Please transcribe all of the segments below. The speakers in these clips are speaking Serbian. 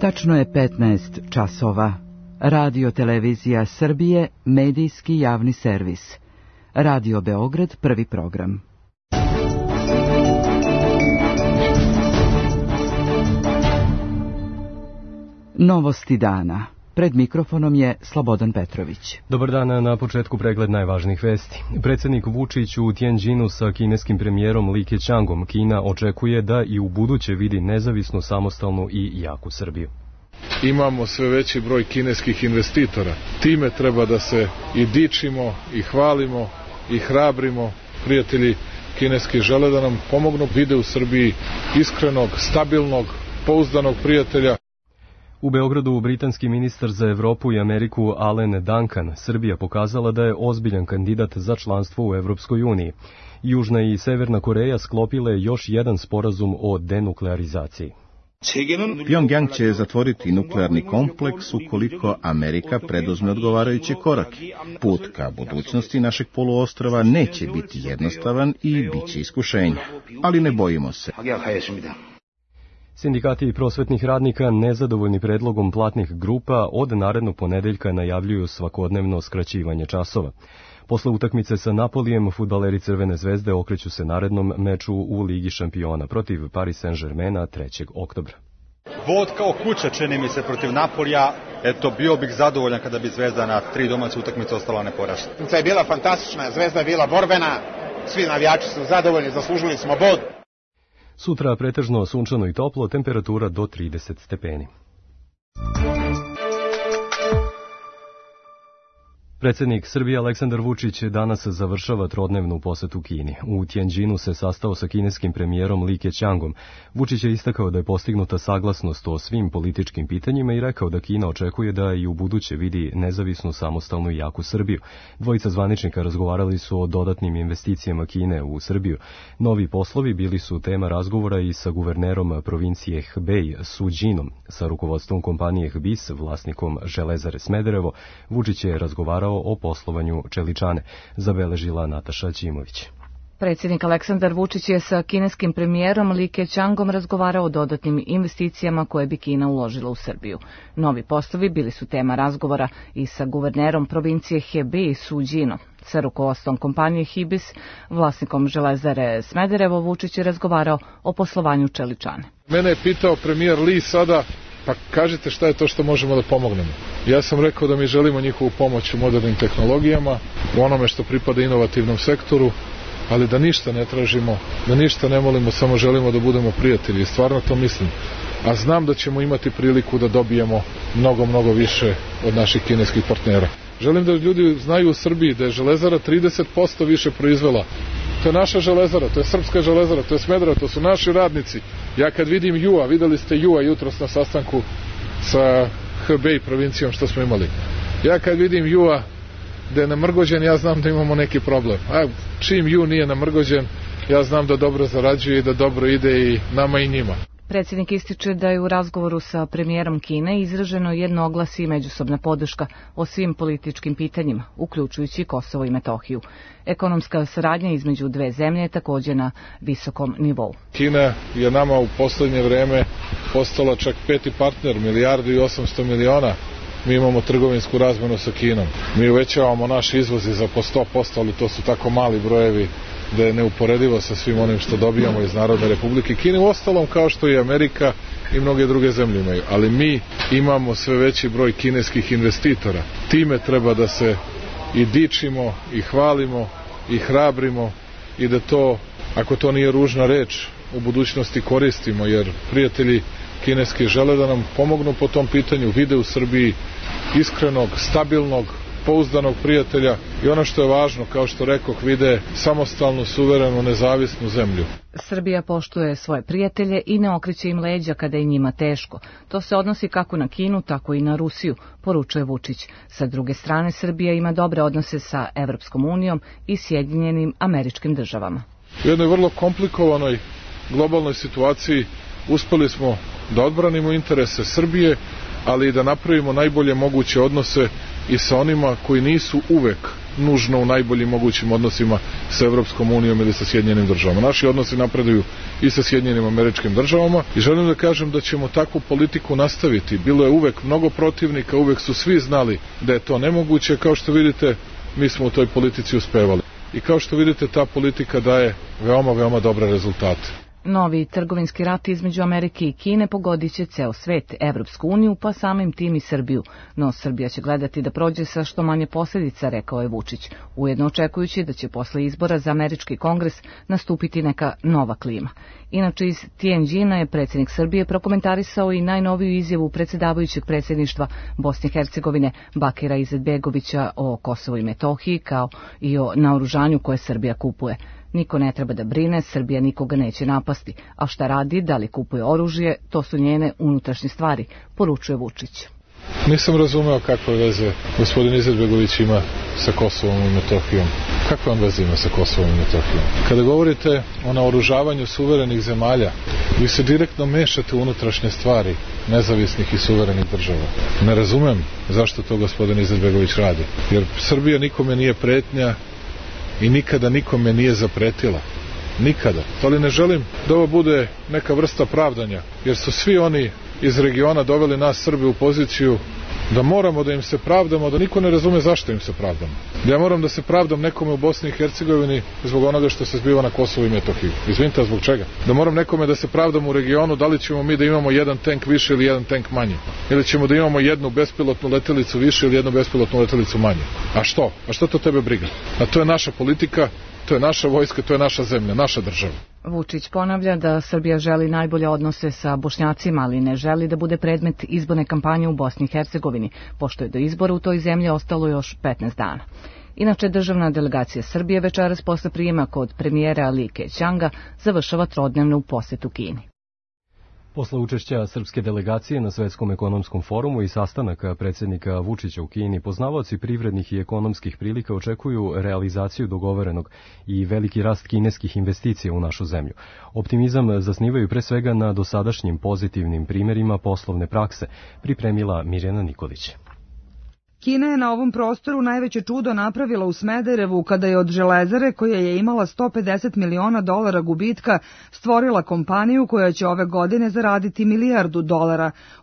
Tačno je 15 časova. Radio Televizija Srbije, medijski javni servis. Radio Beograd, prvi program. Novosti dana. Pred mikrofonom je Slobodan Petrović. Dobar dan, na početku pregled najvažnijih vesti. Predsjednik Vučić u Tianjinu sa kineskim premijerom Li Keqiangom. Kina očekuje da i u buduće vidi nezavisnu, samostalnu i jaku Srbiju. Imamo sve veći broj kineskih investitora. Time treba da se i dičimo, i hvalimo, i hrabrimo. Prijatelji kineski žele da nam pomognu, vide u Srbiji iskrenog, stabilnog, pouzdanog prijatelja. U Beogradu britanski ministar za Evropu i Ameriku Alan Duncan Srbija pokazala da je ozbiljan kandidat za članstvo u Evropskoj uniji. Južna i Severna Koreja sklopile još jedan sporazum o denuklearizaciji. Pjongjang će zatvoriti nuklearni kompleks ukoliko Amerika preduzme odgovarajuće korake. Put ka budućnosti našeg poluostrva neće biti jednostavan i bit će iskušenja, ali ne bojimo se. Sindikati prosvetnih radnika nezadovoljni predlogom platnih grupa od narednog ponedeljka najavljuju svakodnevno skraćivanje časova. Posle utakmice sa Napolijem, fudbaleri Crvene zvezde okreću se narednom meču u Ligi šampiona protiv Paris Saint-Germaina 3. oktobra. Vod kao kuća, čini mi se, protiv Napolija. Eto, bio bih zadovoljan kada bi Zvezda na 3 domaće utakmice ostala neporažena. Utakmica je bila fantastična, Zvezda je bila borbena, svi navijači su zadovoljni, zaslužili smo bod. Sutra pretežno sunčano i toplo, temperatura do 30 stepeni. Predsjednik Srbije Aleksandar Vučić danas završava trodnevnu posetu Kini. U Tianjinu se sastao sa kineskim premijerom Li Keqiangom. Vučić je istakao da je postignuta saglasnost o svim političkim pitanjima i rekao da Kina očekuje da i u buduće vidi nezavisnu, samostalnu i jaku Srbiju. Dvojica zvaničnika razgovarali su o dodatnim investicijama Kine u Srbiju. Novi poslovi bili su tema razgovora i sa guvernerom provincije Hebei Su Jinom, sa rukovodstvom kompanije HBIS, vlasnikom Železare Smederevo. Vučić je razgovarao o poslovanju čeličane, zabeležila Nataša Ćimović. Predsjednik Aleksandar Vučić je sa kineskim premijerom Li Keqiangom razgovarao o dodatnim investicijama koje bi Kina uložila u Srbiju. Novi poslovi bili su tema razgovora i sa guvernerom provincije Hebei Su Jinom. Sa rukovodstvom kompanije HBIS, vlasnikom Železare Smederevo, Vučić je razgovarao o poslovanju čeličane. Mene je pitao premijer Li sada, pa kažite šta je to što možemo da pomognemo. Ja sam rekao da mi želimo njihovu pomoć u modernim tehnologijama, u onome što pripada inovativnom sektoru, ali da ništa ne tražimo, da ništa ne molimo, samo želimo da budemo prijatelji. Stvarno to mislim. A znam da ćemo imati priliku da dobijemo mnogo više od naših kineskih partnera. Želim da ljudi znaju u Srbiji da je Železara 30% više proizvela. To je naša železara, to je srpska železara, to je Smederevo, to su naši radnici. Ja kad vidim Jua, videli ste Jua jutros na sastanku sa Hebei provincijom što smo imali. Ja kad vidim Jua da je namrgođen, ja znam da imamo neki problem. A čim Ju nije namrgođen, ja znam da dobro zarađuje i da dobro ide i nama i njima. Predsjednik ističe da je u razgovoru sa premijerom Kine izraženo jednoglasje i međusobna podrška o svim političkim pitanjima, uključujući Kosovo i Metohiju. Ekonomska saradnja između dve zemlje je također na visokom nivou. Kina je nama u poslednje vreme postala čak 5. partner, 1,8 milijardi. Mi imamo trgovinsku razmenu sa Kinom. Mi uvećavamo naš izvoz za po 100%, ali to su tako mali brojevi da je neuporedivo sa svim onim što dobijamo iz Narodne Republike Kine, u ostalom kao što i Amerika i mnoge druge zemlje imaju. Ali mi imamo sve veći broj kineskih investitora. Time treba da se i dičimo, i hvalimo, i hrabrimo i da to, ako to nije ružna reč, u budućnosti koristimo, jer prijatelji kineski žele da nam pomognu po tom pitanju, vide u Srbiji iskrenog, stabilnog, pouzdanog prijatelja i ono što je važno, kao što rekoh, vide samostalnu, suverenu, nezavisnu zemlju. Srbija poštuje svoje prijatelje i ne okreće im leđa kada je njima teško. To se odnosi kako na Kinu, tako i na Rusiju, poručuje Vučić. Sa druge strane, Srbija ima dobre odnose sa Evropskom unijom i Sjedinjenim Američkim Državama. U jednoj vrlo komplikovanoj globalnoj situaciji uspeli smo da odbranimo interese Srbije, ali i da napravimo najbolje moguće odnose i sa onima koji nisu uvek nužno u najboljim mogućim odnosima sa Evropskom unijom ili sa Sjedinjenim državama. Naši odnosi napreduju i sa Sjedinjenim Američkim državama i želim da kažem da ćemo takvu politiku nastaviti. Bilo je uvek mnogo protivnika, uvek su svi znali da je to nemoguće. Kao što vidite, mi smo u toj politici uspevali. I kao što vidite, ta politika daje veoma, veoma dobre rezultate. Novi trgovinski rat između Amerike i Kine pogodit će ceo svet, Evropsku uniju, pa samim tim i Srbiju. No Srbija će gledati da prođe sa što manje posljedica, rekao je Vučić, ujedno očekujući da će posle izbora za američki kongres nastupiti neka nova klima. Inače, iz Tianjina je predsjednik Srbije prokomentarisao i najnoviju izjavu predsjedavajućeg predsjedništva Bosne i Hercegovine Bakira Izetbegovića o Kosovu i Metohiji, kao i o naoružanju koje Srbija kupuje. Niko ne treba da brine, Srbija nikoga neće napasti, a šta radi, da li kupuje oružje, to su njene unutrašnje stvari, poručuje Vučić. Nisam razumeo kakve veze gospodin Izetbegović ima sa Kosovom i Metohijom. Kakve on veze ima sa Kosovom i Metohijom? Kada govorite o naoružavanju suverenih zemalja, vi se direktno mešate u unutrašnje stvari nezavisnih i suverenih država. Ne razumem zašto to gospodin Izetbegović radi, jer Srbija nikome nije pretnja i nikada nikome nije zapretila. Nikada. Ali ne želim da ovo bude neka vrsta pravdanja, jer su svi oni iz regiona doveli nas Srbe u poziciju da moramo da im se pravdamo, da niko ne razume zašto im se pravdamo. Ja moram da se pravdam nekome u Bosni i Hercegovini zbog onoga što se zbiva na Kosovu i Metohiji. Izvinite, zbog čega? Da moram nekome da se pravdam u regionu, da li ćemo mi da imamo jedan tank više ili jedan tank manje? Ili ćemo da imamo jednu bespilotnu letelicu više ili jednu bespilotnu letelicu manje? A što? A što to tebe briga? A to je naša politika, to je naša vojska, to je naša zemlja, naša država. Vučić ponavlja da Srbija želi najbolje odnose sa Bošnjacima, ali ne želi da bude predmet izborne kampanje u Bosni i Hercegovini, pošto je do izbora u toj zemlji ostalo još 15 dana. Inače, državna delegacija Srbije večeras posle prijema kod premijera Li Keqianga završava trodnevnu posetu Kini. Posle učešća srpske delegacije na Svetskom ekonomskom forumu i sastanaka predsjednika Vučića u Kini, poznavaoci privrednih i ekonomskih prilika očekuju realizaciju dogovorenog i veliki rast kineskih investicija u našu zemlju. Optimizam zasnivaju pre svega na dosadašnjim pozitivnim primjerima poslovne prakse, pripremila Mirjana Nikolić. Kina je na ovom prostoru najveće čudo napravila u Smederevu kada je od Železare, koja je imala $150 miliona gubitka, stvorila kompaniju koja će ove godine zaraditi $1 milijardu,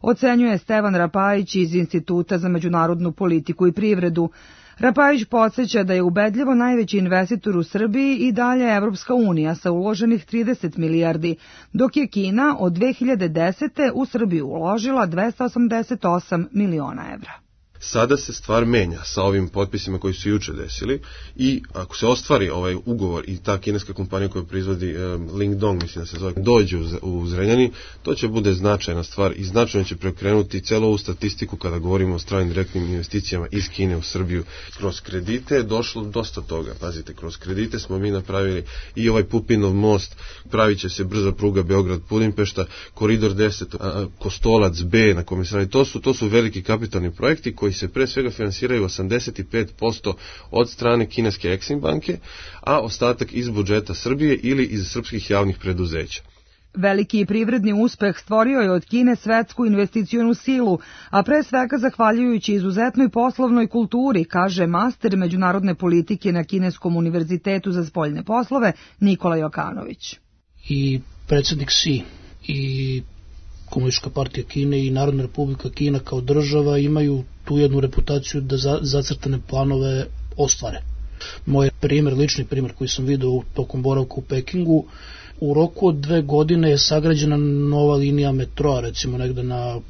ocenjuje Stevan Rapajić iz Instituta za međunarodnu politiku i privredu. Rapajić podsjeća da je ubedljivo najveći investitor u Srbiji i dalje Evropska unija sa uloženih 30 milijardi, dok je Kina od 2010. u Srbiju uložila 288 miliona evra. Sada se stvar menja sa ovim potpisima koji su juče desili i ako se ostvari ovaj ugovor i ta kineska kompanija koja proizvodi Lingdong, mislim da se zove, dođe u Zrenjanin, to će bude značajna stvar i značajno će prekrenuti celu ovu statistiku kada govorimo o stranim direktnim investicijama iz Kine u Srbiju. Kroz kredite je došlo dosta toga. Pazite, kroz kredite smo mi napravili i ovaj Pupinov most, pravit će se brza pruga Beograd-Budimpešta, koridor 10, Kostolac B na kome se radi. To su veliki kapitalni projekti koji se pre svega finansiraju 85% od strane kineske Exim banke, a ostatak iz budžeta Srbije ili iz srpskih javnih preduzeća. Veliki privredni uspeh stvorio je od Kine svetsku investicionu silu, a pre svega zahvaljujući izuzetnoj poslovnoj kulturi, kaže master međunarodne politike na Kineskom univerzitetu za spoljne poslove Nikola Jokanović. I predsjednik Xi i Komunistička partija Kine i Narodna republika Kina kao država imaju tu jednu reputaciju da zacrtane planove ostvare. Moj primjer, lični primjer koji sam vidio tokom boravka u Pekingu, u roku od 2 godine je sagrađena nova linija metroa, recimo negde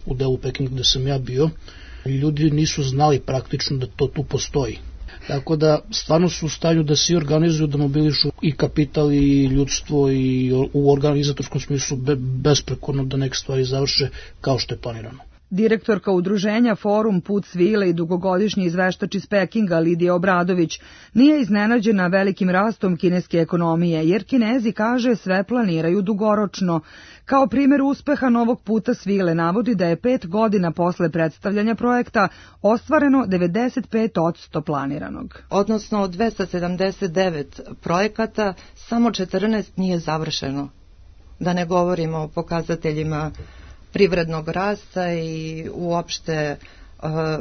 u delu Pekinga gde sam ja bio. Ljudi nisu znali praktično da to tu postoji. Tako da stvarno su u stanju da se organizuju, da mobilišu i kapital i ljudstvo i u organizatorskom smislu besprekorno da neke stvari završe kao što je planirano. Direktorka udruženja Forum Put svile i dugogodišnji izveštač iz Pekinga Lidija Obradović nije iznenađena velikim rastom kineske ekonomije, jer Kinezi, kaže, sve planiraju dugoročno. Kao primjer uspeha novog puta svile navodi da je 5 godina posle predstavljanja projekta ostvareno 95% planiranog. Odnosno od 279 projekata samo 14 nije završeno. Da ne govorimo o pokazateljima privrednog rasta i uopšte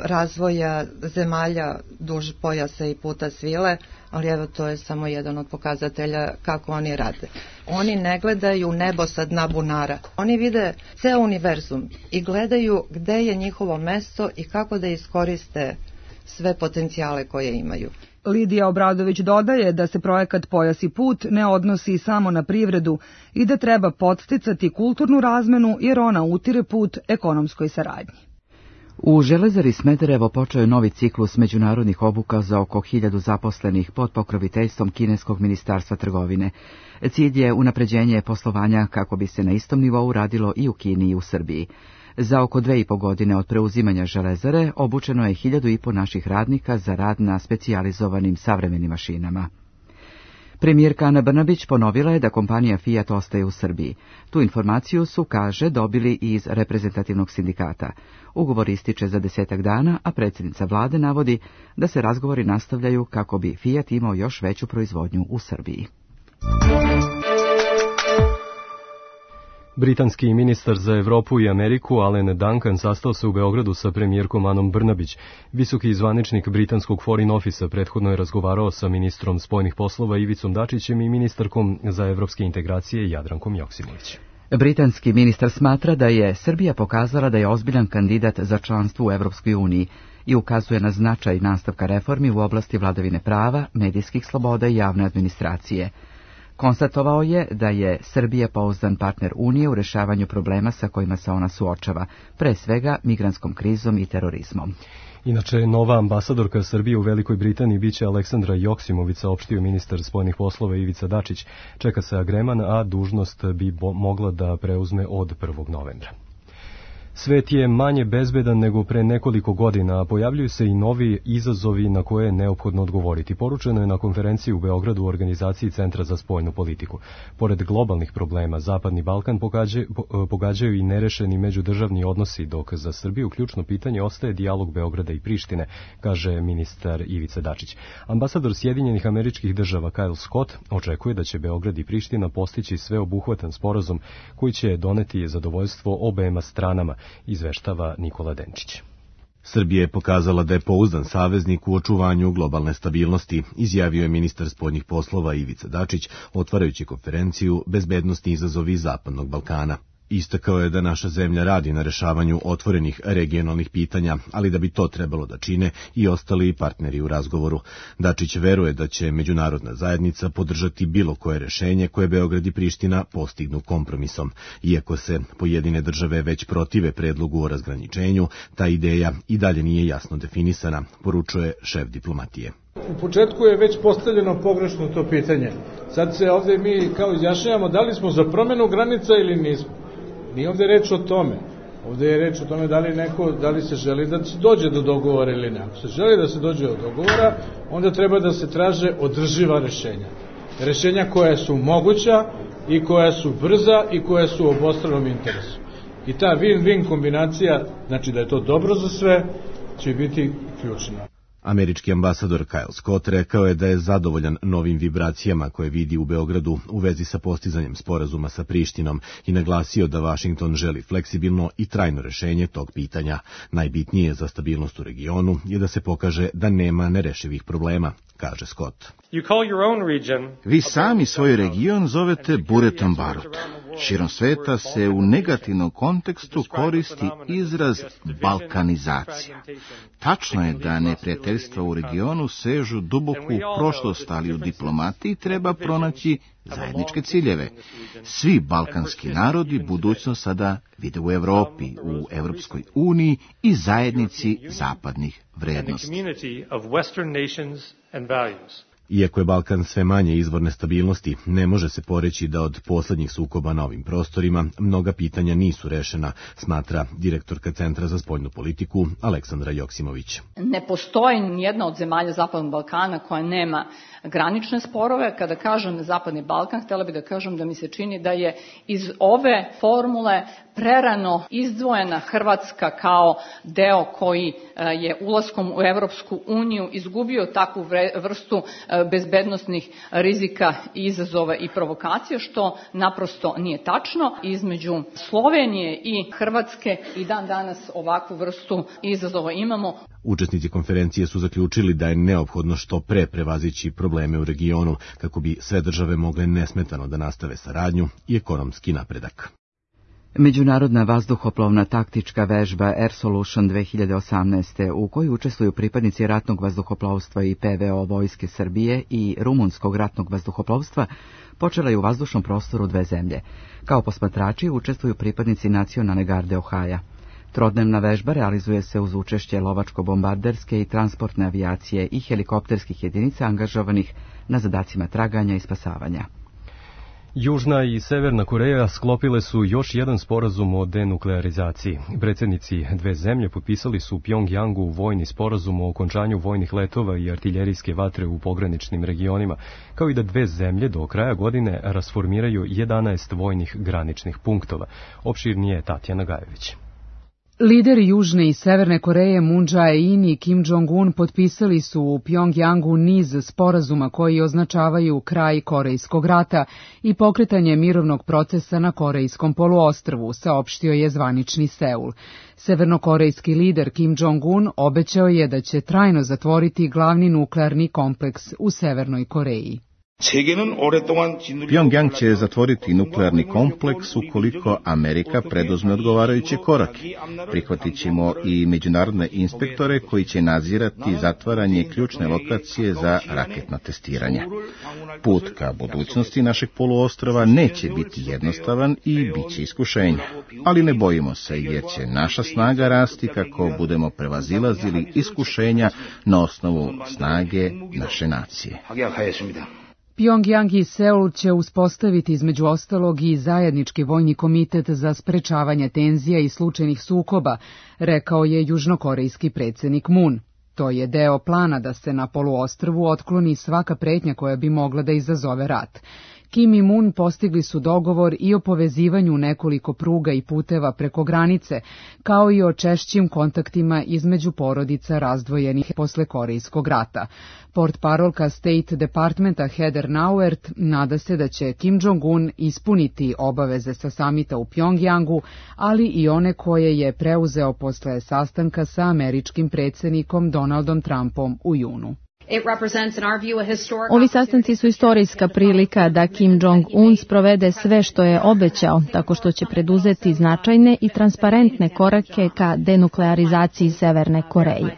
razvoja zemalja duž pojasa i puta svile, ali evo to je samo jedan od pokazatelja kako oni rade. Oni ne gledaju nebo sa dna bunara. Oni vide ceo univerzum i gledaju gde je njihovo mesto i kako da iskoriste sve potencijale koje imaju. Lidija Obradović dodaje da se projekat Pojas i put ne odnosi samo na privredu i da treba podsticati kulturnu razmenu jer ona utire put ekonomskoj saradnji. U Železari Smederevo počeo je novi ciklus međunarodnih obuka za oko 1000 zaposlenih pod pokroviteljstvom kineskog ministarstva trgovine. Cilj je unapređenje poslovanja kako bi se na istom nivou radilo i u Kini i u Srbiji. Za oko 2,5 godine od preuzimanja Železare obučeno je 1500 naših radnika za rad na specijalizovanim savremenim mašinama. Premijerka Ana Brnabić ponovila je da kompanija Fiat ostaje u Srbiji. Tu informaciju su, kaže, dobili i iz reprezentativnog sindikata. Ugovor ističe za 10 dana, a predsjednica vlade navodi da se razgovori nastavljaju kako bi Fiat imao još veću proizvodnju u Srbiji. Britanski ministar za Evropu i Ameriku Alan Duncan sastao se u Beogradu sa premijerkom Anom Brnabić. Visoki zvaničnik britanskog Foreign Office prethodno je razgovarao sa ministrom spoljnih poslova Ivicom Dačićem i ministarkom za evropske integracije Jadrankom Joksimović. Britanski ministar smatra da je Srbija pokazala da je ozbiljan kandidat za članstvo u Evropskoj uniji i ukazuje na značaj nastavka reformi u oblasti vladavine prava, medijskih sloboda i javne administracije. Konstatovao je da je Srbija pouzdan partner Unije u rešavanju problema sa kojima se ona suočava, pre svega migrantskom krizom i terorizmom. Inače, nova ambasadorka Srbije u Velikoj Britaniji biće Aleksandra Joksimović, saopštio ministar spoljnih poslova Ivica Dačić. Čeka se agreman, a dužnost bi mogla da preuzme od 1. novembra. Svet je manje bezbedan nego pre nekoliko godina, a pojavljuju se i novi izazovi na koje je neophodno odgovoriti. Poručeno je na konferenciji u Beogradu u organizaciji Centra za spoljnu politiku. Pored globalnih problema, Zapadni Balkan pogađaju i nerešeni međudržavni odnosi, dok za Srbiju ključno pitanje ostaje dijalog Beograda i Prištine, kaže ministar Ivica Dačić. Ambasador Sjedinjenih Američkih Država Kyle Scott očekuje da će Beograd i Priština postići sveobuhvatan sporazum koji će doneti zadovoljstvo obema stranama, izveštava Nikola Denčić. Srbija je pokazala da je pouzdan saveznik u očuvanju globalne stabilnosti, izjavio je ministar spoljnih poslova Ivica Dačić, otvarajući konferenciju Bezbednosni izazovi Zapadnog Balkana. Istakao je da naša zemlja radi na rešavanju otvorenih regionalnih pitanja, ali da bi to trebalo da čine i ostali partneri u razgovoru. Dačić veruje da će međunarodna zajednica podržati bilo koje rešenje koje Beograd i Priština postignu kompromisom. Iako se pojedine države već protive predlogu o razgraničenju, ta ideja i dalje nije jasno definisana, poručuje šef diplomatije. U početku je već postavljeno pogrešno to pitanje. Sad se ovde mi kao izjašnjavamo da li smo za promenu granica ili nismo. Nije ovde reč o tome. Ovde je reč o tome da li se želi da se dođe do dogovora ili ne. Ako se želi da se dođe do dogovora, onda treba da se traže održiva rešenja. Rešenja koja su moguća i koja su brza i koja su u obostranom interesu. I ta win-win kombinacija, znači da je to dobro za sve, će biti ključna. Američki ambasador Kyle Scott rekao je da je zadovoljan novim vibracijama koje vidi u Beogradu u vezi sa postizanjem sporazuma sa Prištinom i naglasio da Vašington želi fleksibilno i trajno rešenje tog pitanja. Najbitnije za stabilnost u regionu je da se pokaže da nema nerešivih problema, kaže Scott. Vi sami svoj region zovete buretom barut. Širom sveta se u negativnom kontekstu koristi izraz balkanizacija. Tačno je da neprijateljstva u regionu sežu duboko u prošlost, ali u diplomatiji treba pronaći zajedničke ciljeve. Svi balkanski narodi budućnost sada vide u Evropi, u Evropskoj uniji i zajednici zapadnih vrednosti. Iako je Balkan sve manje izvor nestabilnosti, ne može se poreći da od poslednjih sukoba na ovim prostorima mnoga pitanja nisu rešena, smatra direktorka Centra za spoljnu politiku Aleksandra Joksimović. Ne postoji nijedna od zemalja Zapadnog Balkana koja nema granične sporove. Kada kažem Zapadni Balkan, htjela bih da kažem da mi se čini da je iz ove formule prerano izdvojena Hrvatska kao deo koji je ulaskom u Evropsku uniju izgubio takvu vrstu bezbednosnih rizika, izazova i provokacija, što naprosto nije tačno. Između Slovenije i Hrvatske i dan danas ovakvu vrstu izazova imamo. Učesnici konferencije su zaključili da je neophodno što pre prevazići probleme u regionu kako bi sve države mogle nesmetano da nastave saradnju i ekonomski napredak. Međunarodna vazduhoplovna taktička vežba Air Solution 2018. u kojoj učestvuju pripadnici ratnog vazduhoplovstva i PVO Vojske Srbije i rumunskog ratnog vazduhoplovstva počela je u vazdušnom prostoru dve zemlje. Kao posmatrači učestvuju pripadnici Nacionalne garde Ohaja. Trodnevna vežba realizuje se uz učešće lovačko-bombarderske i transportne avijacije i helikopterskih jedinica angažovanih na zadacima traganja i spasavanja. Južna i Severna Koreja sklopile su još jedan sporazum o denuklearizaciji. Predsjednici dve zemlje potpisali su u Pjongjangu vojni sporazum o okončanju vojnih letova i artiljerijske vatre u pograničnim regionima, kao i da dve zemlje do kraja godine rasformiraju 11 vojnih graničnih punktova. Opširnije je Tatjana Gajević. Lideri Južne i Severne Koreje Moon Jae-in i Kim Jong-un potpisali su u Pjongjangu niz sporazuma koji označavaju kraj Korejskog rata i pokretanje mirovnog procesa na Korejskom poluostrvu, saopštio je zvanični Seul. Severnokorejski lider Kim Jong-un obećao je da će trajno zatvoriti glavni nuklearni kompleks u Severnoj Koreji. Pjongjang će zatvoriti nuklearni kompleks ukoliko Amerika preduzme odgovarajuće korake. Prihvatit ćemo i međunarodne inspektore koji će nadzirati zatvaranje ključne lokacije za raketna testiranja. Put ka budućnosti našeg poluostrova neće biti jednostavan i bit će iskušenja. Ali ne bojimo se jer će naša snaga rasti kako budemo prevazilazili iskušenja na osnovu snage naše nacije. Pjongjang i Seul će uspostaviti između ostalog i zajednički vojni komitet za sprečavanje tenzija i slučajnih sukoba, rekao je južnokorejski predsjednik Moon. To je deo plana da se na poluostrvu otkloni svaka pretnja koja bi mogla da izazove rat. Kim i Moon postigli su dogovor i o povezivanju nekoliko pruga i puteva preko granice, kao i o češćim kontaktima između porodica razdvojenih posle Korejskog rata. Portparolka State Departmenta Heather Nauert nada se da će Kim Jong-un ispuniti obaveze sa samita u Pjongjangu, ali i one koje je preuzeo posle sastanka sa američkim predsjednikom Donaldom Trumpom u junu. Ovi sastanci su istorijska prilika da Kim Jong-un sprovede sve što je obećao, tako što će preduzeti značajne i transparentne korake ka denuklearizaciji Severne Koreje.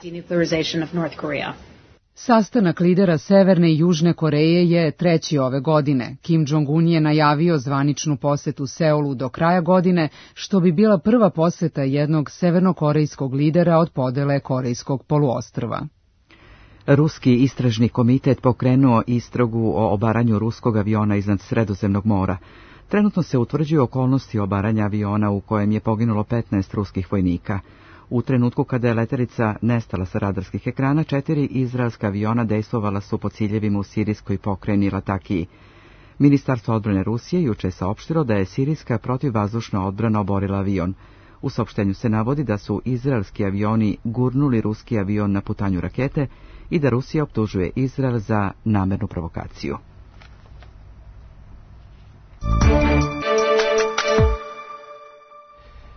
Sastanak lidera Severne i Južne Koreje je treći ove godine. Kim Jong-un je najavio zvaničnu posetu Seulu do kraja godine, što bi bila prva poseta jednog severnokorejskog lidera od podele Korejskog poluostrva. Ruski istražni komitet pokrenuo istragu o obaranju ruskog aviona iznad Sredozemnog mora. Trenutno se utvrđuju okolnosti obaranja aviona u kojem je poginulo 15 ruskih vojnika. U trenutku kada je letelica nestala sa radarskih ekrana, 4 izraelska aviona dejstvovala su po ciljevima u sirijskoj pokrajini Latakiji. Ministarstvo odbrane Rusije juče je saopštilo da je sirijska protivvazdušna odbrana oborila avion. U saopštenju se navodi da su izraelski avioni gurnuli ruski avion na putanju rakete i da Rusija optužuje Izrael za namernu provokaciju.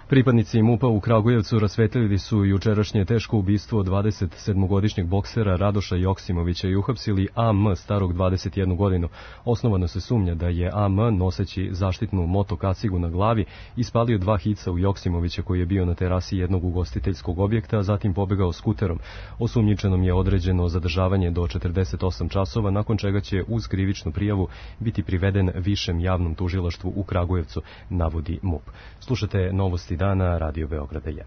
Pripadnici MUP-a u Kragujevcu rasvetlili su jučerašnje teško ubistvo 27-godišnjeg boksera Radoša Joksimovića i uhapsili AM starog 21 godinu. Osnovano se sumnja da je AM, noseći zaštitnu motokacigu na glavi, ispalio 2 hica u Joksimovića koji je bio na terasi jednog ugostiteljskog objekta, a zatim pobegao skuterom. Osumnjičenom je određeno zadržavanje do 48 časova, nakon čega će uz krivičnu prijavu biti priveden Višem javnom tužilaštvu u Kragujevcu, navodi MUP. Slušate novosti dana Radio Beograda 1.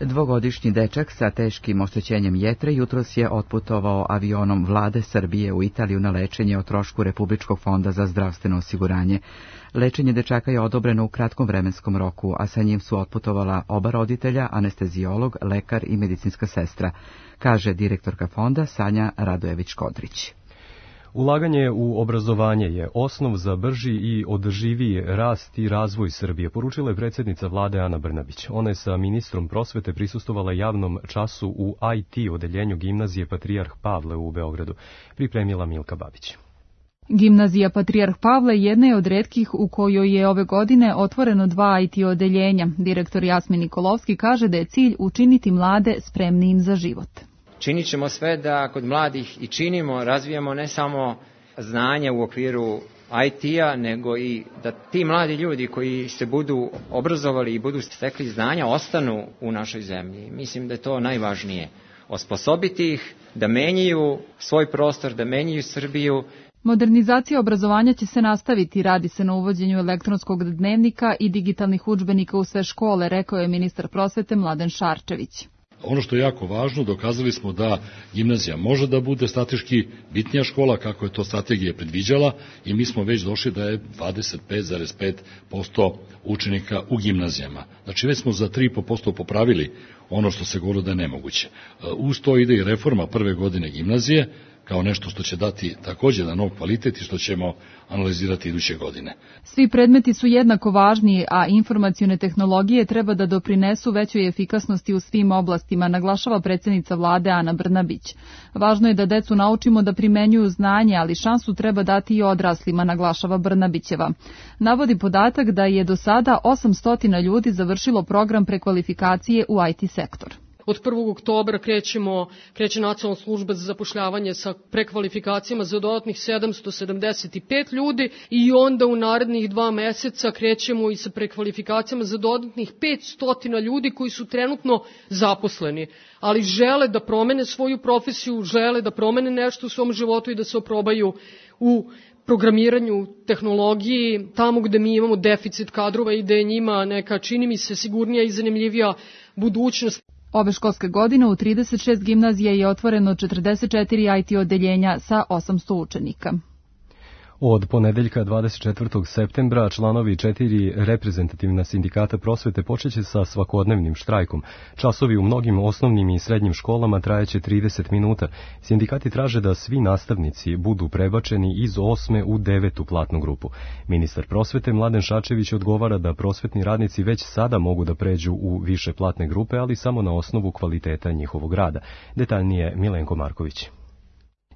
Dvogodišnji dečak sa teškim oštećenjem jetre jutros je otputovao avionom vlade Srbije u Italiju na lečenje o trošku Republičkog fonda za zdravstveno osiguranje. Lečenje dečaka je odobreno u kratkom vremenskom roku, a sa njim su otputovala oba roditelja, anestezijolog, lekar i medicinska sestra, kaže direktorka fonda Sanja Radojević-Kodrić. Ulaganje u obrazovanje je osnov za brži i održiviji rast i razvoj Srbije, poručila je predsjednica vlade Ana Brnabić. Ona je sa ministrom prosvete prisustvovala javnom času u IT odeljenju gimnazije Patrijarh Pavle u Beogradu, pripremila Milka Babić. Gimnazija Patrijarh Pavle jedna je od retkih u kojoj je ove godine otvoreno 2 IT odeljenja. Direktor Jasmin Nikolovski kaže da je cilj učiniti mlade spremnijim za život. Činit ćemo sve da kod mladih i činimo, razvijamo ne samo znanja u okviru IT-a, nego i da ti mladi ljudi koji se budu obrazovali i budu stekli znanja ostanu u našoj zemlji. Mislim da je to najvažnije. Osposobiti ih da menjaju svoj prostor, da menjaju Srbiju. Modernizacija obrazovanja će se nastaviti, radi se na uvođenju elektronskog dnevnika i digitalnih udžbenika u sve škole, rekao je ministar prosvete Mladen Šarčević. Ono što je jako važno, dokazali smo da gimnazija može da bude strateški bitnija škola kako je to strategija predviđala i mi smo već došli da je 25,5% učenika u gimnazijama. Znači već smo za 3,5% popravili ono što se govorilo da je nemoguće. Uz to ide i reforma prve godine gimnazije, kao nešto što će dati također na nov kvalitet i što ćemo analizirati iduće godine. Svi predmeti su jednako važni, a informacione tehnologije treba da doprinesu većoj efikasnosti u svim oblastima, naglašava predsjednica vlade Ana Brnabić. Važno je da decu naučimo da primenjuju znanje, ali šansu treba dati i odraslima, naglašava Brnabićeva. Navodi podatak da je do sada 800 ljudi završilo program prekvalifikacije u IT sektor. Od 1. oktobra kreće Nacionalna služba za zapošljavanje sa prekvalifikacijama za dodatnih 775 ljudi i onda u narednih 2 meseca krećemo i sa prekvalifikacijama za dodatnih 500 ljudi koji su trenutno zaposleni, ali žele da promene svoju profesiju, žele da promene nešto u svom životu i da se oprobaju u programiranju, tehnologiji, tamo gde mi imamo deficit kadrova i da je njima neka, čini mi se, sigurnija i zanimljivija budućnost. Ove školske godine u 36 gimnazija je otvoreno 44 IT odeljenja sa 800 učenika. Od ponedeljka 24. septembra članovi 4 reprezentativna sindikata prosvete počeće sa svakodnevnim štrajkom. Časovi u mnogim osnovnim i srednjim školama trajeće 30 minuta. Sindikati traže da svi nastavnici budu prebačeni iz 8. u 9. platnu grupu. Ministar prosvete Mladen Šarčević odgovara da prosvetni radnici već sada mogu da pređu u više platne grupe, ali samo na osnovu kvaliteta njihovog rada. Detaljnije Milenko Marković.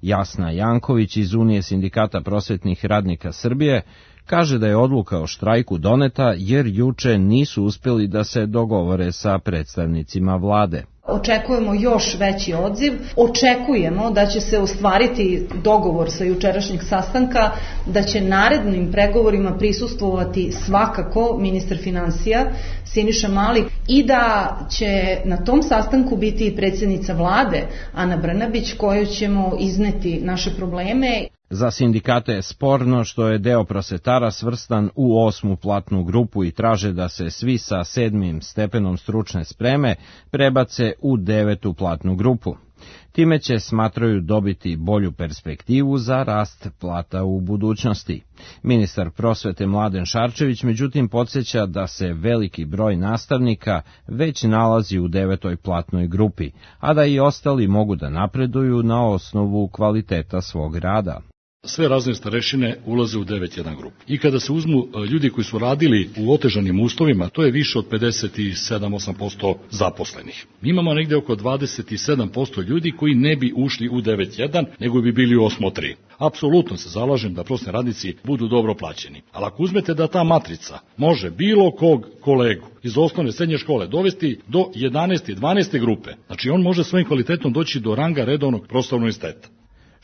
Jasna Janković iz Unije sindikata prosvetnih radnika Srbije kaže da je odluka o štrajku doneta jer juče nisu uspjeli da se dogovore sa predstavnicima vlade. Očekujemo još veći odziv, očekujemo da će se ostvariti dogovor sa jučerašnjeg sastanka, da će narednim pregovorima prisustvovati svakako ministar finansija Siniša Mali i da će na tom sastanku biti i predsjednica vlade Ana Brnabić kojoj ćemo izneti naše probleme. Za sindikate je sporno što je deo prosvetara svrstan u 8. platnu grupu i traže da se svi sa 7. stepenom stručne spreme prebace u 9. platnu grupu. Time će, smatraju, dobiti bolju perspektivu za rast plata u budućnosti. Ministar prosvete Mladen Šarčević međutim podsjeća da se veliki broj nastavnika već nalazi u 9. platnoj grupi, a da i ostali mogu da napreduju na osnovu kvaliteta svog rada. Sve razne starešine ulaze u 9.1 grupu. I kada se uzmu ljudi koji su radili u otežanim uslovima, to je više od 57-8% zaposlenih. Mi imamo negde oko 27% ljudi koji ne bi ušli u 9.1, nego bi bili u 8.3. Apsolutno se zalažem da prosvetni radnici budu dobro plaćeni. Ali ako uzmete da ta matrica može bilo kog kolegu iz osnovne srednje škole dovesti do 11. i 12. grupe, znači on može svojim kvalitetom doći do ranga redovnog prostornog univerziteta.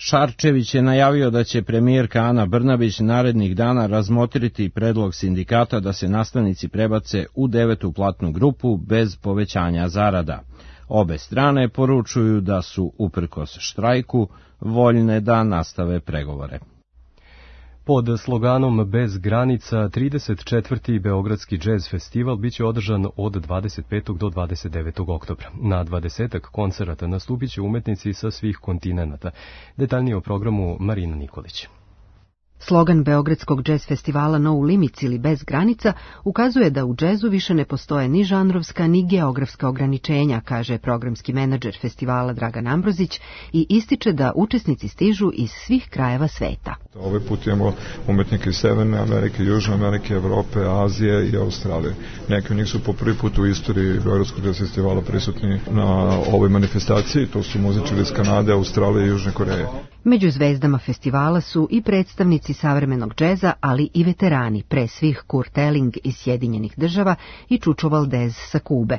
Šarčević je najavio da će premijerka Ana Brnabić narednih dana razmotriti predlog sindikata da se nastavnici prebace u 9. platnu grupu bez povećanja zarada. Obe strane poručuju da su, uprkos štrajku, voljne da nastave pregovore. Pod sloganom Bez granica, 34. Beogradski džez festival biće održan od 25. do 29. oktobra. Na 20 koncerata nastupit će umetnici sa svih kontinenata. Detaljnije o programu Marina Nikolić. Slogan Beogradskog džez festivala No Limits ili Bez granica ukazuje da u džezu više ne postoje ni žanrovska ni geografska ograničenja, kaže programski menadžer festivala Dragan Ambrozić i ističe da učesnici stižu iz svih krajeva sveta. Ovaj put imamo umetnike iz Severne Amerike, Južne Amerike, Evrope, Azije i Australije. Neki od njih su po prvi put u istoriji Beogradskog džez festivala prisutni na ovoj manifestaciji, to su muzičari iz Kanade, Australije i Južne Koreje. Među zvezdama festivala su i predstavnici savremenog džeza, ali i veterani, pre svih Kurt Elling iz Sjedinjenih Država i Čučo Valdez sa Kube.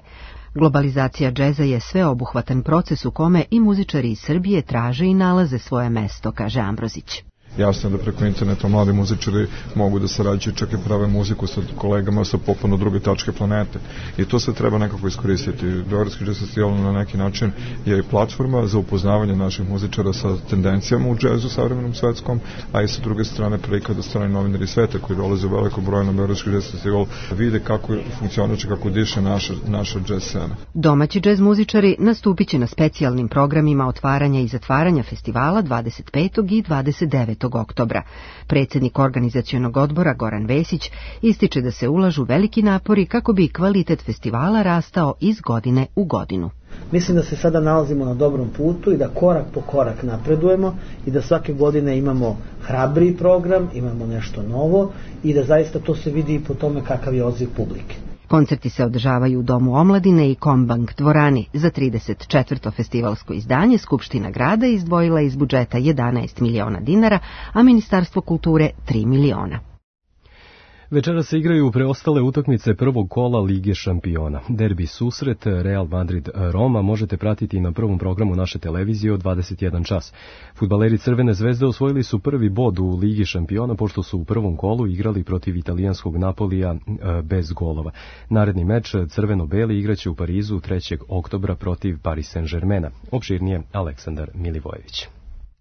Globalizacija džeza je sveobuhvatan proces u kome i muzičari iz Srbije traže i nalaze svoje mesto, kaže Ambrozić. Jasno je da preko interneta mladi muzičari mogu da sarađuju, čak i prave muziku sa kolegama sa potpuno druge tačke planete. I to se treba nekako iskoristiti. Beogradski džez festival na neki način je i platforma za upoznavanje naših muzičara sa tendencijama u džezu savremenom svetskom, a i sa druge strane prilika da strani novinari sveta koji dolaze u veliko broju na Beogradski džez festival vide kako funkcioniše, kako diše naša džez scena. Domaći džez muzičari nastupit će na specijalnim programima otvaranja i zatvaranja festivala 25. i 29. oktobra. Predsjednik organizacionog odbora Goran Vesić ističe da se ulažu veliki napori kako bi kvalitet festivala rastao iz godine u godinu. Mislim da se sada nalazimo na dobrom putu i da korak po korak napredujemo i da svake godine imamo hrabriji program, imamo nešto novo i da zaista to se vidi i po tome kakav je odziv publike. Koncerti se održavaju u Domu omladine i Kombank dvorani. Za 34. festivalsko izdanje Skupština grada izdvojila iz budžeta 11 miliona dinara, a Ministarstvo kulture 3 miliona. Večera se igraju preostale utakmice prvog kola Lige šampiona. Derbi susret Real Madrid-Roma možete pratiti na prvom programu naše televizije od 21 čas. Fudbaleri Crvene zvezde osvojili su prvi bod u Ligi šampiona pošto su u prvom kolu igrali protiv italijanskog Napolija bez golova. Naredni meč crveno-beli igraće u Parizu 3. oktobra protiv Paris Saint-Germaina. Opširnije Aleksandar Milivojević.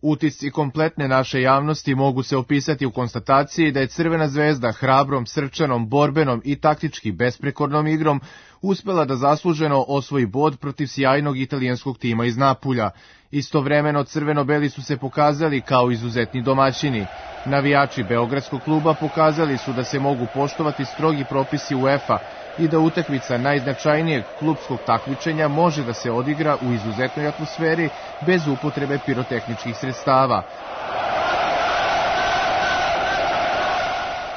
Utisci kompletne naše javnosti mogu se opisati u konstataciji da je Crvena zvezda hrabrom, srčanom, borbenom i taktički besprekornom igrom uspela da zasluženo osvoji bod protiv sjajnog italijanskog tima iz Napulja. Istovremeno crveno-beli su se pokazali kao izuzetni domaćini. Navijači Beogradskog kluba pokazali su da se mogu poštovati strogi propisi UEFA i da utakmica najznačajnijeg klupskog takmičenja može da se odigra u izuzetnoj atmosferi bez upotrebe pirotehničkih sredstava.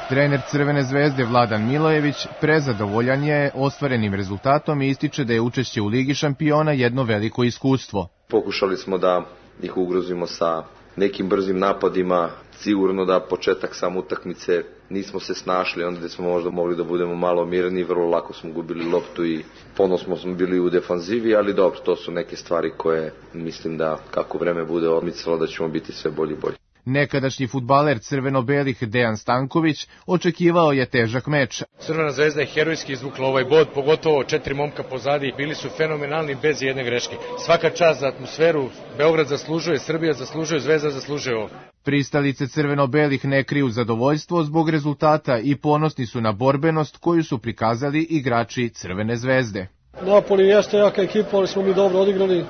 Trener Crvene zvezde Vladan Milojević prezadovoljan je ostvarenim rezultatom i ističe da je učešće u Ligi šampiona jedno veliko iskustvo. Pokušali smo da ih ugrozimo sa nekim brzim napadima, sigurno da početak sam utakmice nismo se snašli, onda smo možda mogli da budemo malo mirni, vrlo lako smo gubili loptu i ponosno smo bili u defanzivi, ali dobro, to su neke stvari koje mislim da kako vreme bude odmicalo da ćemo biti sve bolji i bolji. Nekadašnji fudbaler crveno-belih Dejan Stanković očekivao je težak meč. Crvena zvezda je herojski izvukla ovaj bod, pogotovo 4 momka pozadi, bili su fenomenalni bez jedne greške. Svaka čast za atmosferu, Beograd zaslužuje, Srbija zaslužuje, Zvezda zaslužuje ovo. Pristalice crveno-belih ne kriju zadovoljstvo zbog rezultata i ponosni su na borbenost koju su prikazali igrači Crvene zvezde. Napoli jeste jaka ekipa, ali smo mi dobro odigrali,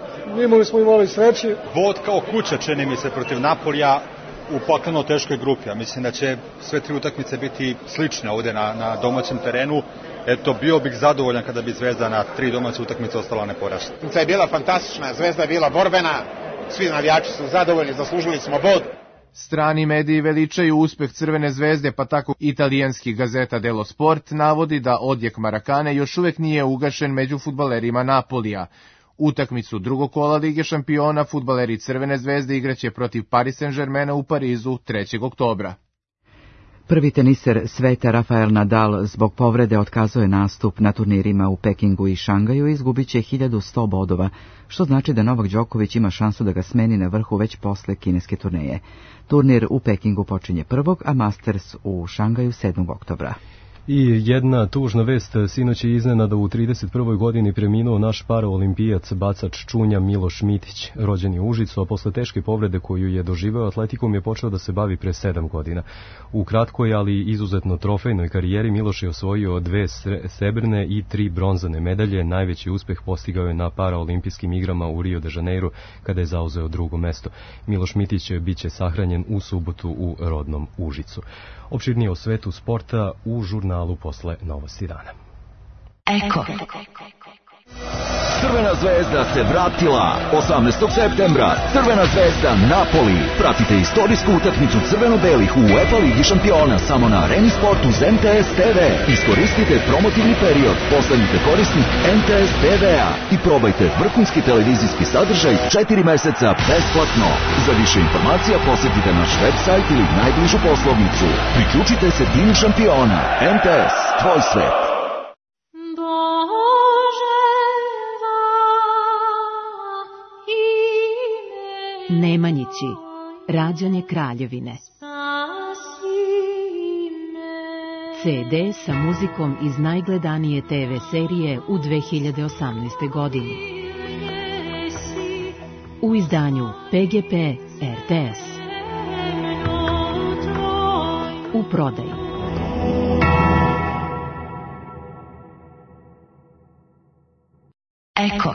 imali sreće. Bod kao kuća čini mi se protiv Napolija u poklano teškoj grupi, a mislim da će sve 3 utakmice biti slične ovde na domaćem terenu. Eto, bio bih zadovoljan kada bi Zvezda na 3 domaće utakmice ostala neporažena. Utakmica je bila fantastična, Zvezda je bila borbena, svi navijači su zadovoljni, zaslužili smo bod. Strani mediji veličaju uspeh Crvene zvezde, pa tako italijanski gazeta Dello Sport navodi da odjek Marakane još uvek nije ugašen među fudbalerima Napolija. Utakmicu drugog kola Lige šampiona fudbaleri Crvene zvezde igraće protiv Paris Saint-Germaina u Parizu 3. oktobra. Prvi teniser sveta Rafael Nadal zbog povrede otkazuje nastup na turnirima u Pekingu i Šangaju i izgubit će 1100 bodova, što znači da Novak Đoković ima šansu da ga smeni na vrhu već posle kineske turneje. Turnir u Pekingu počinje 1. a Masters u Šangaju 7. oktobra. I jedna tužna vest, sinoć je iznenada u 31. godini preminuo naš paraolimpijac, bacač čunja Miloš Mitić. Rođen je u Užicu, a posle teške povrede koju je doživeo atletikom je počeo da se bavi pre 7 godina. U kratkoj, ali izuzetno trofejnoj karijeri Miloš je osvojio 2 srebrne i 3 bronzane medalje. Najveći uspeh postigao je na paraolimpijskim igrama u Rio de Janeiro, kada je zauzeo 2. mesto. Miloš Mitić biće sahranjen u subotu u rodnom Užicu. Opširnije o svetu sporta u žurnalu posle Novosti dana. Eko. Crvena zvezda se vratila 18. septembra. Crvena zvezda Napoli. Pratite istorijsku utakmicu crveno-belih u UEFA Ligi šampiona samo na Areni Sportu uz MTS TV. Iskoristite promotivni period, postanite korisnik MTS TV-a i probajte vrhunski televizijski sadržaj 4 meseca besplatno. Za više informacija posjetite naš website ili najbližu poslovnicu. Priključite se timu šampiona. MTS, tvoj svet. Nemanjići, rađanje Kraljevine. CD sa muzikom iz najgledanije TV serije u 2018. godini. U izdanju PGP RTS. U prodaji. Eko.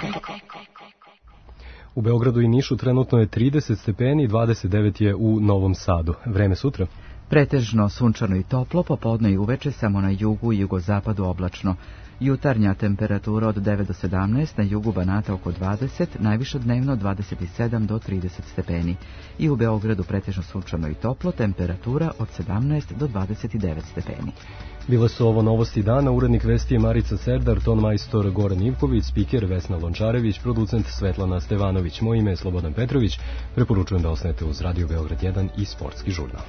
U Beogradu i Nišu trenutno je 30 stepeni, 29 je u Novom Sadu. Vreme sutra? Pretežno sunčano i toplo, popodne i uveče samo na jugu i jugozapadu oblačno. Jutarnja temperatura od 9 do 17, na jugu Banata oko 20, najviše dnevno 27 do 30 stepeni. I u Beogradu pretežno sunčano i toplo, temperatura od 17 do 29 stepeni. Bile su ovo Novosti dana, urednik vesti je Marica Serdar, ton majstor Goran Ivković, spiker Vesna Lončarević, producent Svetlana Stevanović. Moje ime je Slobodan Petrović, preporučujem da ostanete uz Radio Beograd 1 i Sportski žurnal.